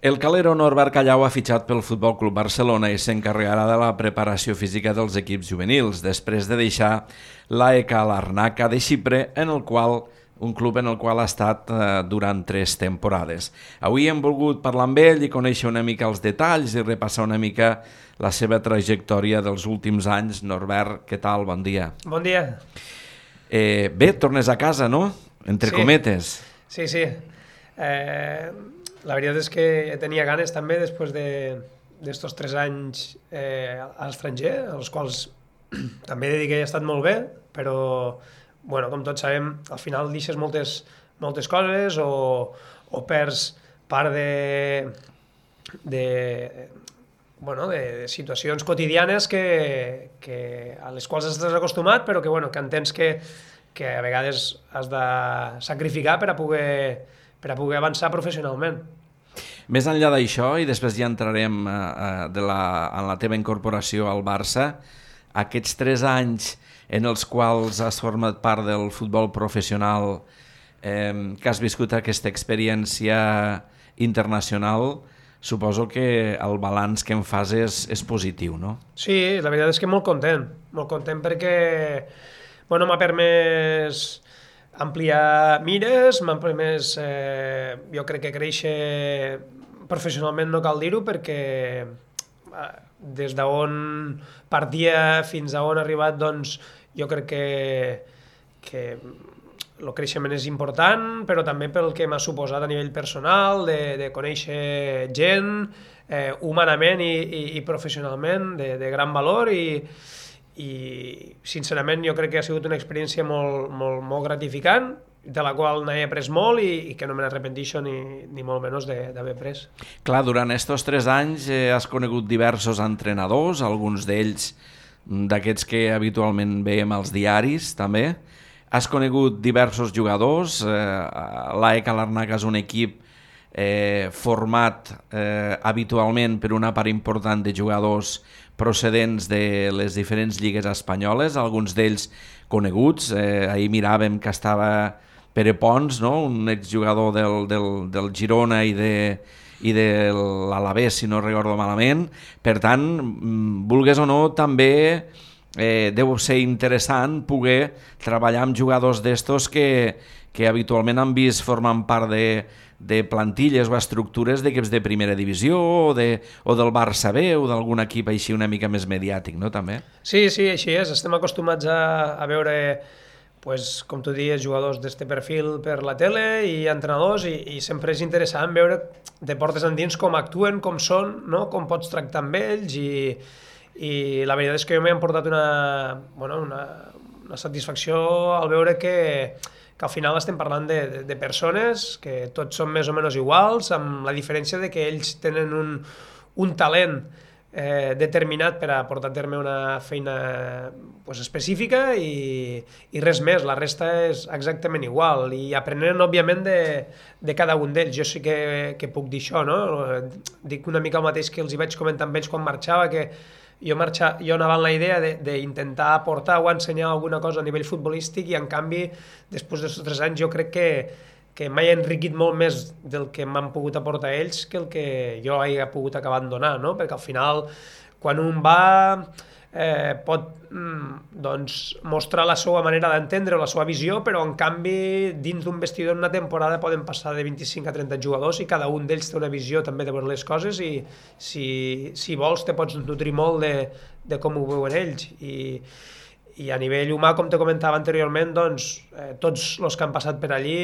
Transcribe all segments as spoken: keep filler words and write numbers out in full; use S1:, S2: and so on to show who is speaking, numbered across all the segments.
S1: El calero Norbert Callau ha fitxat pel Futbol Club Barcelona i s'encarregarà de la preparació física dels equips juvenils, després de deixar l'A E K Larnaca de Xipre, en el qual un club en el qual ha estat eh, durant tres temporades. Avui hem volgut parlar amb ell i conèixer una mica els detalls i repassar una mica la seva trajectòria dels últims anys. Norbert, què tal? Bon dia.
S2: Bon dia.
S1: Eh, bé, tornes a casa, no? Entre
S2: Sí.
S1: cometes.
S2: Sí, sí. Eh, la veritat és que tenia ganes també després d'estos de, tres anys eh, a l'estranger, als quals també he de dir que he estat molt bé, però bueno, com tots sabem, al final deixes moltes, moltes coses o, o perds part de, de, bueno, de situacions quotidianes que, que, a les quals estàs acostumat, però que, bueno, que entens que, que a vegades has de sacrificar per a poder, per a poder avançar professionalment.
S1: Més enllà d'això, i després ja entrarem eh, de la, en la teva incorporació al Barça, aquests tres anys en els quals has format part del futbol professional, eh, que has viscut aquesta experiència internacional, suposo que el balanç que en fas és, és positiu, no?
S2: Sí, la veritat és que molt content, molt content perquè bueno, m'ha permès ampliar mires, m'ha permès, eh, jo crec que créixer professionalment, no cal dir-ho, perquè eh, des d'on partia fins a on ha arribat, doncs jo crec que, que el creixement és important, però també pel que m'ha suposat a nivell personal, de, de conèixer gent, eh, humanament i, i, i professionalment, de, de gran valor, i, i sincerament jo crec que ha sigut una experiència molt, molt, molt gratificant, de la qual n'he après molt i, i que no me n'arrepentixo ni, ni molt menys d'haver après.
S1: Clar, durant estos tres anys eh, has conegut diversos entrenadors, alguns d'ells d'aquests que habitualment veiem als diaris, també. Has conegut diversos jugadors, eh, l'A E K Larnaca és un equip eh, format eh, habitualment per una part important de jugadors procedents de les diferents lligues espanyoles, alguns d'ells coneguts. Eh, ahir miràvem que estava Pere Pons, no? Un exjugador del, del, del Girona i de, i de l'Alavés, si no recordo malament. Per tant, vulgues o no, també eh, deu ser interessant poder treballar amb jugadors d'estos que, que habitualment han vist formant part de, de plantilles o estructures d'equips de primera divisió o, de, o del Barça B o d'algun equip així una mica més mediàtic, no? També?
S2: Sí, sí, així és. Estem acostumats a, a veure, pues, com tu dius, jugadors d'este perfil per la tele i entrenadors, i, i sempre és interessant veure de portes endins com actuen, com són, no? Com pots tractar amb ells, i, i la veritat és que jo m'he emportat una, bueno, una, una satisfacció al veure que, que al final estem parlant de, de, de persones que tots són més o menys iguals, amb la diferència de que ells tenen un, un talent eh, determinat per a portar a terme una feina pues, específica i, i res més, la resta és exactament igual, i aprenent òbviament de, de cada un d'ells. Jo sí que, que puc dir això, no? Dic una mica el mateix que els hi vaig comentar amb ells quan marxava, que jo, marxa, jo anava amb la idea d'intentar aportar o ensenyar alguna cosa a nivell futbolístic, i en canvi, després d'aquests tres anys, jo crec que que m'he enriquit molt més del que m'han pogut aportar ells que el que jo he pogut acabar de donar, no? Perquè al final, quan un va, eh, pot mm, doncs, mostrar la seva manera d'entendre o la seva visió, però en canvi, dins d'un vestidor en una temporada poden passar de vint-i-cinc a trenta jugadors i cada un d'ells té una visió també de veure les coses, i si, si vols te pots nutrir molt de, de com ho veuen ells. I, i a nivell humà, com te comentava anteriorment, doncs, eh, tots els que han passat per allí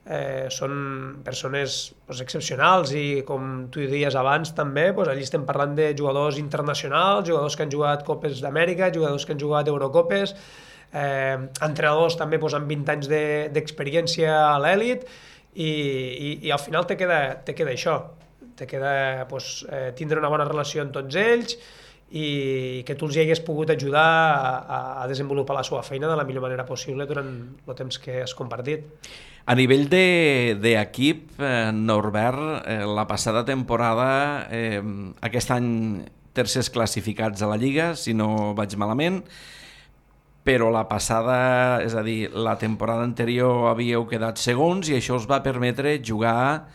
S2: eh, són persones pues, excepcionals, i com tu dies abans també, pues, allí estem parlant de jugadors internacionals, jugadors que han jugat Copes d'Amèrica, jugadors que han jugat Eurocopes, eh, entrenadors també pues, amb vint anys d'experiència de, a l'èlit, i, i, i al final te queda, te queda això, te queda pues, eh, tindre una bona relació amb tots ells, i que tu els hi hagués pogut ajudar a, a desenvolupar la seva feina de la millor manera possible durant el temps que has compartit.
S1: A nivell d'equip, de, eh, Norbert, eh, la passada temporada, eh, aquest any tercers classificats a la Lliga, si no vaig malament, però la passada, és a dir, la temporada anterior havíeu quedat segons i això us va permetre jugar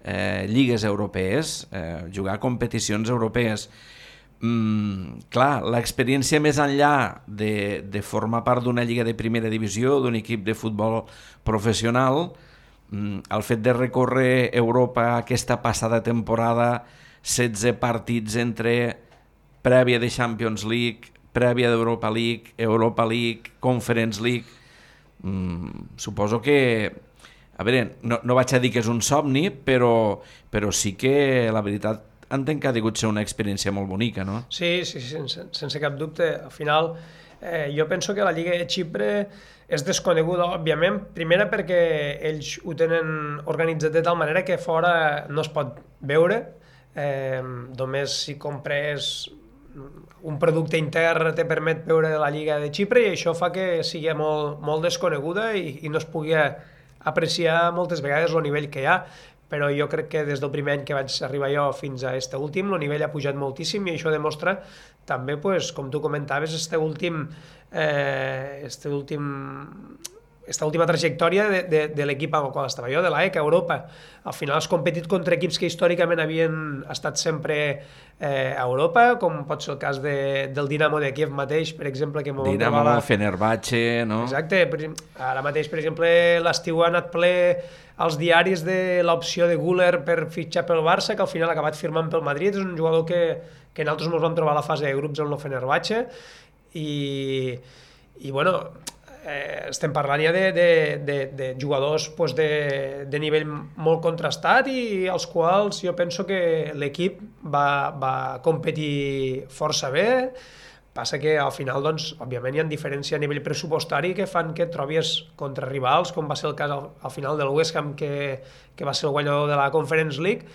S1: eh, lligues europees, eh, jugar competicions europees. Mm, clar, l'experiència més enllà de, de formar part d'una lliga de primera divisió, d'un equip de futbol professional, mm, el fet de recórrer Europa aquesta passada temporada, setze partits entre prèvia de Champions League, prèvia d'Europa League, Europa League, Conference League, mm, suposo que, a veure, no, no vaig a dir que és un somni, però, però sí que la veritat entenc que ha degut ser una experiència molt bonica, no?
S2: Sí, sí, sí, sense, sense cap dubte. Al final, eh, jo penso que la Lliga de Xipre és desconeguda, òbviament, primera perquè ells ho tenen organitzat de tal manera que fora no es pot veure, eh, només si compres un producte intern te permet veure la Lliga de Xipre i això fa que sigui molt, molt desconeguda i, i no es pugui apreciar moltes vegades el nivell que hi ha. Però jo crec que des del primer any que vaig arribar jo fins a este últim, el nivell ha pujat moltíssim i això demostra també, pues, com tu comentaves, este últim, eh, este últim, esta última trajectòria de, de, de l'equip amb el qual estava jo, de l'A E C a Europa. Al final has competit contra equips que històricament havien estat sempre eh, a Europa, com pot ser el cas de, del Dinamo de Kiev mateix, per exemple. Que
S1: Dinamo, la... Fenerbahce, no?
S2: Exacte. Ara mateix, per exemple, l'estiu ha anat ple als diaris de l'opció de Güler per fitxar pel Barça, que al final ha acabat firmant pel Madrid. És un jugador que, que nosaltres ens vam trobar a la fase de grups amb el Fenerbahce i, i bueno, eh, estem parlant ja de, de, de, de jugadors pues, de, de nivell molt contrastat i als quals jo penso que l'equip va, va competir força bé. Passa que al final, doncs, òbviament hi ha diferència a nivell pressupostari que fan que et trobis contra rivals, com va ser el cas al, al final del West Ham, que, que va ser el guanyador de la Conference League,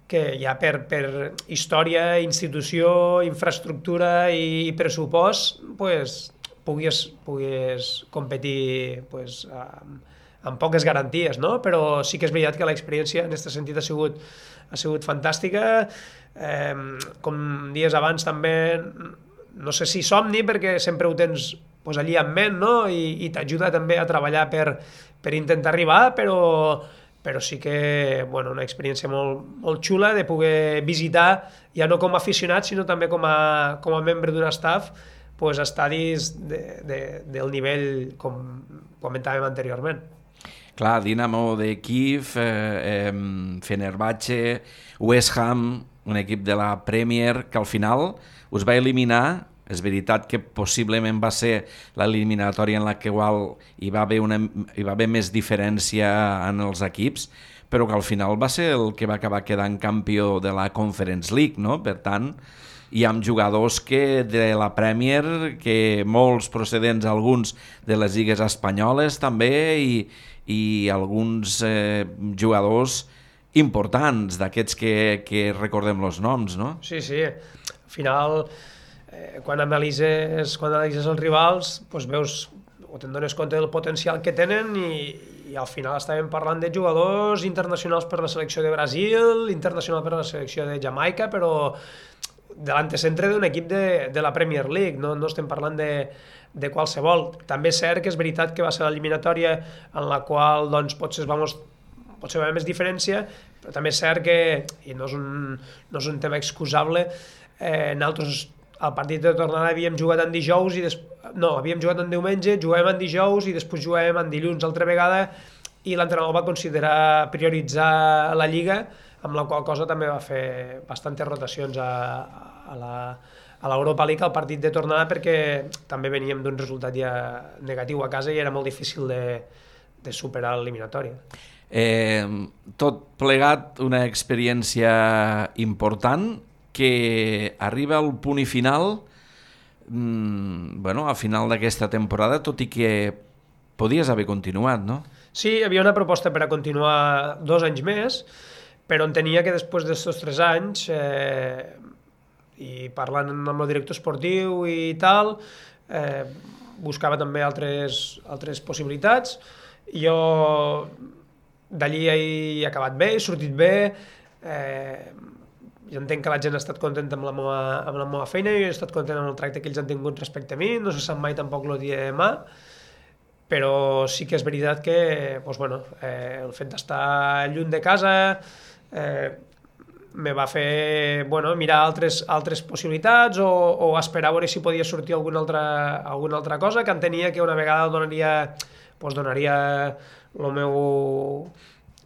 S2: que ja per, per història, institució, infraestructura i, i pressupost, pues, puguis, puguis competir pues, amb, amb poques garanties, no? Però sí que és veritat que l'experiència en aquest sentit ha sigut, ha sigut fantàstica. Eh, com dies abans també, no sé si somni, perquè sempre ho tens pues, allí en ment, no? I, i t'ajuda també a treballar per, per intentar arribar, però, però sí que bueno, una experiència molt, molt xula de poder visitar, ja no com a aficionat, sinó també com a, com a membre d'un staff, pues, estadis de, de, del nivell com comentàvem anteriorment.
S1: Clar, Dinamo de Kiev, eh, eh, Fenerbahce, West Ham, un equip de la Premier que al final us va eliminar. És veritat que possiblement va ser l'eliminatòria en la que igual hi va haver, una, hi va haver més diferència en els equips, però que al final va ser el que va acabar quedant campió de la Conference League, no? Per tant, hi ha jugadors que de la Premier, que molts procedents, alguns de les lligues espanyoles també, i, i alguns eh, jugadors importants, d'aquests que, que recordem els noms, no?
S2: Sí, sí. Al final, eh, quan analitzes, quan analitzes els rivals, doncs veus o te'n dones compte del potencial que tenen i, i al final estàvem parlant de jugadors internacionals per la selecció de Brasil, internacional per la selecció de Jamaica, però de l'antecentre d'un equip de, de la Premier League, no, no estem parlant de, de qualsevol. També és cert que és veritat que va ser l'eliminatòria en la qual doncs, potser, vamos, potser va haver més diferència, però també és cert que, i no és un, no és un tema excusable, eh, nosaltres al partit de tornada havíem jugat en dijous i des... no, havíem jugat en diumenge, jugàvem en dijous i després jugàvem en dilluns altra vegada i l'entrenador va considerar prioritzar la Lliga, amb la qual cosa també va fer bastantes rotacions a, a la a l'Europa League al partit de tornada perquè també veníem d'un resultat ja negatiu a casa i era molt difícil de, de superar l'eliminatòria.
S1: Eh, tot plegat una experiència important que arriba al punt i final mmm, bueno, al final d'aquesta temporada, tot i que podies haver continuat, no?
S2: Sí, hi havia una proposta per a continuar dos anys més, però entenia que després d'aquests tres anys, eh, i parlant amb el director esportiu i tal, eh, buscava també altres, altres possibilitats. Jo d'allí he acabat bé, he sortit bé, eh, jo entenc que la gent ha estat contenta amb la meva, amb la meva feina, jo he estat content amb el tracte que ells han tingut respecte a mi, no se sap mai tampoc el dia de demà, però sí que és veritat que doncs, bueno, eh, el fet d'estar lluny de casa, eh, me va fer bueno, mirar altres, altres possibilitats o, o esperar a veure si podia sortir alguna altra, alguna altra cosa, que entenia que una vegada donaria, pues donaria el meu,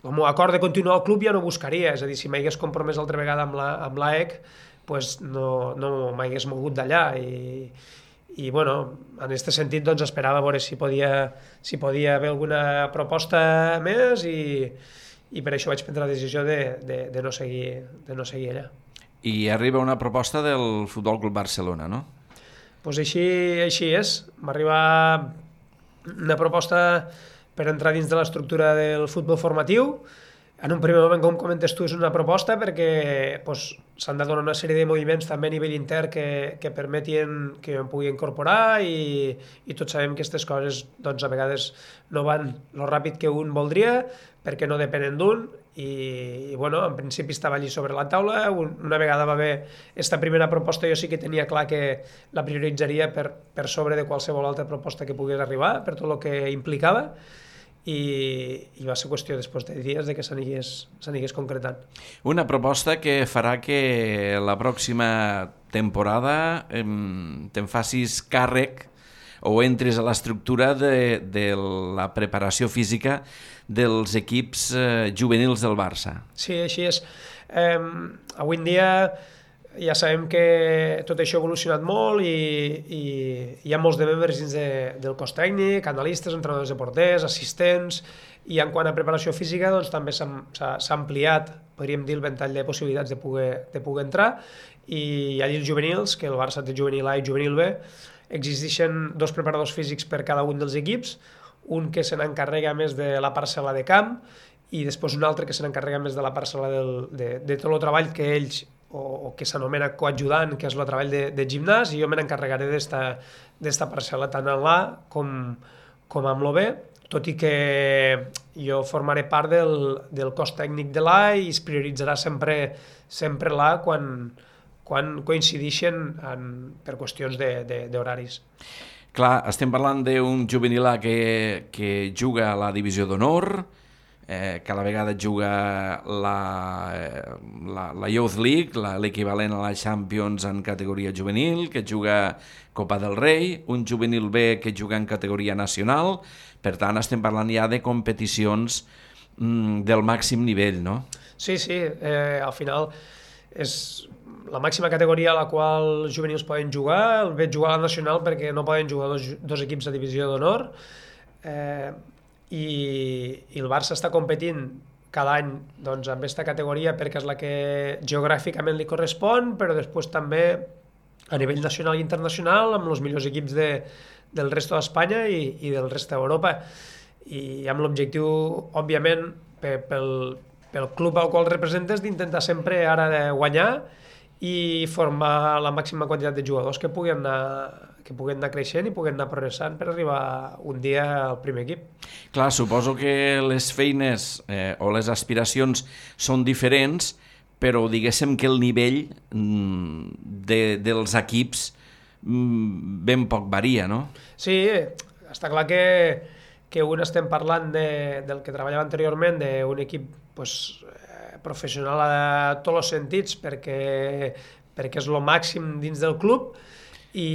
S2: el meu acord de continuar al club ja no buscaria, és a dir, si m'hagués compromès altra vegada amb la, amb l'A E C, pues no, no m'hagués mogut d'allà i i bueno, en aquest sentit doncs esperava veure si podia, si podia haver alguna proposta més i, i per això vaig prendre la decisió de, de, de, no seguir, de no seguir allà.
S1: I arriba una proposta del Futbol Club Barcelona, no?
S2: Doncs pues així, així és. M'arriba una proposta per entrar dins de l'estructura del futbol formatiu. En un primer moment, com comentes tu, és una proposta perquè pues, s'han de donar una sèrie de moviments també a nivell intern que, que permetin que jo em pugui incorporar i, i tots sabem que aquestes coses doncs, a vegades no van lo ràpid que un voldria perquè no depenen d'un i, i bueno, en principi estava allí sobre la taula. Una vegada va haver aquesta primera proposta, jo sí que tenia clar que la prioritzaria per, per sobre de qualsevol altra proposta que pogués arribar, per tot el que implicava. I, i va ser qüestió després de dies de que s'anigués concretant.
S1: Una proposta que farà que la pròxima temporada eh, te'n facis càrrec o entris a l'estructura de, de la preparació física dels equips eh, juvenils del Barça.
S2: Sí, així és. Eh, avui en dia ja sabem que tot això ha evolucionat molt i, i hi ha molts de membres dins de, del cos tècnic, analistes, entrenadors de porters, assistents, i en quant a preparació física doncs, també s'ha ampliat, podríem dir, el ventall de possibilitats de poder, de poder entrar, i allà els juvenils, que el Barça té juvenil A i juvenil B, existeixen dos preparadors físics per cada un dels equips, un que se n'encarrega més de la parcel·la de camp i després un altre que se n'encarrega més de la parcel·la del, de, de tot el treball que ells o, o que s'anomena coadjudant, que és el treball de, de gimnàs, i jo me n'encarregaré d'esta parcel·la tant en l'A com, com amb l'O B, tot i que jo formaré part del, del cos tècnic de l'A i es prioritzarà sempre, sempre l'A quan, quan coincideixen en, per qüestions d'horaris.
S1: Clar, estem parlant d'un juvenil A que, que juga a la divisió d'honor, eh, que a la vegada juga la, la, la Youth League, l'equivalent a la Champions en categoria juvenil, que juga Copa del Rei, un juvenil B que juga en categoria nacional. Per tant, estem parlant ja de competicions mm, del màxim nivell, no?
S2: Sí, sí, eh, al final és la màxima categoria a la qual els juvenils poden jugar. El veig jugar a la nacional perquè no poden jugar dos, dos equips de divisió d'honor. Eh, i, i el Barça està competint cada any doncs, amb aquesta categoria perquè és la que geogràficament li correspon, però després també a nivell nacional i internacional amb els millors equips de, del resto d'Espanya i, i del rest d'Europa. I amb l'objectiu, òbviament, pel, pel club al qual representes, d'intentar sempre ara de guanyar i formar la màxima quantitat de jugadors que puguen anar, que puguen anar creixent i puguen anar progressant per arribar un dia al primer equip.
S1: Clar, suposo que les feines eh, o les aspiracions són diferents, però diguéssim que el nivell mm, de, dels equips mm, ben poc varia, no?
S2: Sí, està clar que, que un estem parlant de, del que treballava anteriorment, d'un equip pues, professional a tots els sentits perquè, perquè és el màxim dins del club i,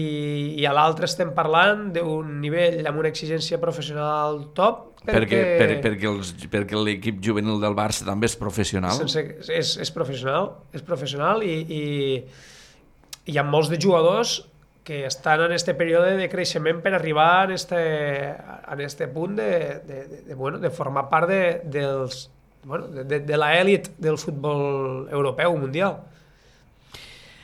S2: i a l'altre estem parlant d'un nivell amb una exigència professional top
S1: perquè, per, perquè, els, perquè l'equip juvenil del Barça també és professional.
S2: Sense, és, és professional, és professional i, i hi ha molts de jugadors que estan en aquest període de creixement per arribar en este, en este punt de, de, de, de, bueno, de formar part de, dels Bueno, de, de l'elit del futbol europeu, mundial.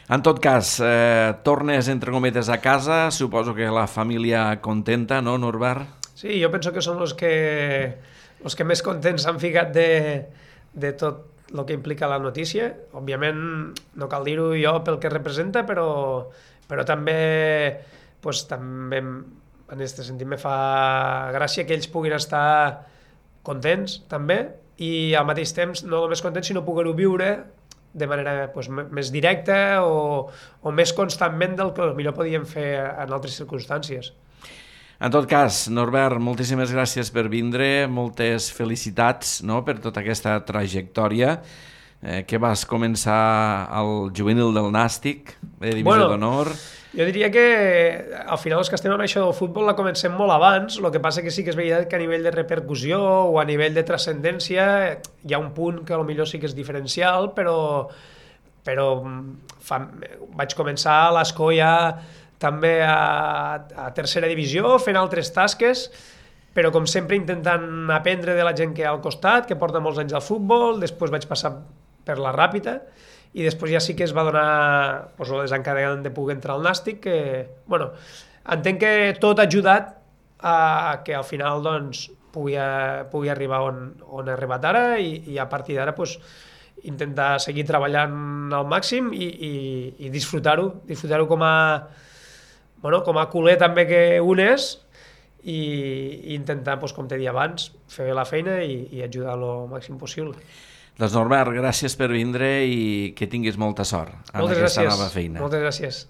S1: En tot cas, eh, tornes entre cometes a casa, suposo que la família contenta, no, Norbert?
S2: Sí, jo penso que són els que, els que més contents s'han ficat de, de tot el que implica la notícia. Òbviament, no cal dir-ho jo pel que representa, però, però també, pues, també en aquest sentit me fa gràcia que ells puguin estar contents, també, i al mateix temps no només contents, sinó poder-ho viure de manera pues, més directa o, o més constantment del que millor podíem fer en altres circumstàncies.
S1: En tot cas, Norbert, moltíssimes gràcies per vindre, moltes felicitats, no?, per tota aquesta trajectòria. eh, que vas començar al juvenil del Nàstic, de divisió
S2: Bueno,
S1: d'honor.
S2: Jo diria que al final els que estem en això del futbol la comencem molt abans, el que passa que sí que és veritat que a nivell de repercussió o a nivell de transcendència hi ha un punt que potser sí que és diferencial, però, però fa, vaig començar a l'Escó ja també a, a tercera divisió, fent altres tasques, però com sempre intentant aprendre de la gent que hi ha al costat, que porta molts anys al futbol, després vaig passar per la Ràpita, i després ja sí que es va donar pues, el desencadenant de poder entrar al Nàstic, que, bueno, entenc que tot ha ajudat a que al final doncs, pugui, pugui arribar on, on he arribat ara i, i a partir d'ara pues, intentar seguir treballant al màxim i, i, i disfrutar-ho, disfrutar-ho com a, bueno, com a culer també que un és i, i intentar, doncs, com t'he dit abans, fer la feina i, i ajudar el màxim possible.
S1: Doncs Norbert, gràcies per vindre i que tinguis molta sort en
S2: Moltes
S1: aquesta
S2: gràcies.
S1: nova feina.
S2: Moltes gràcies.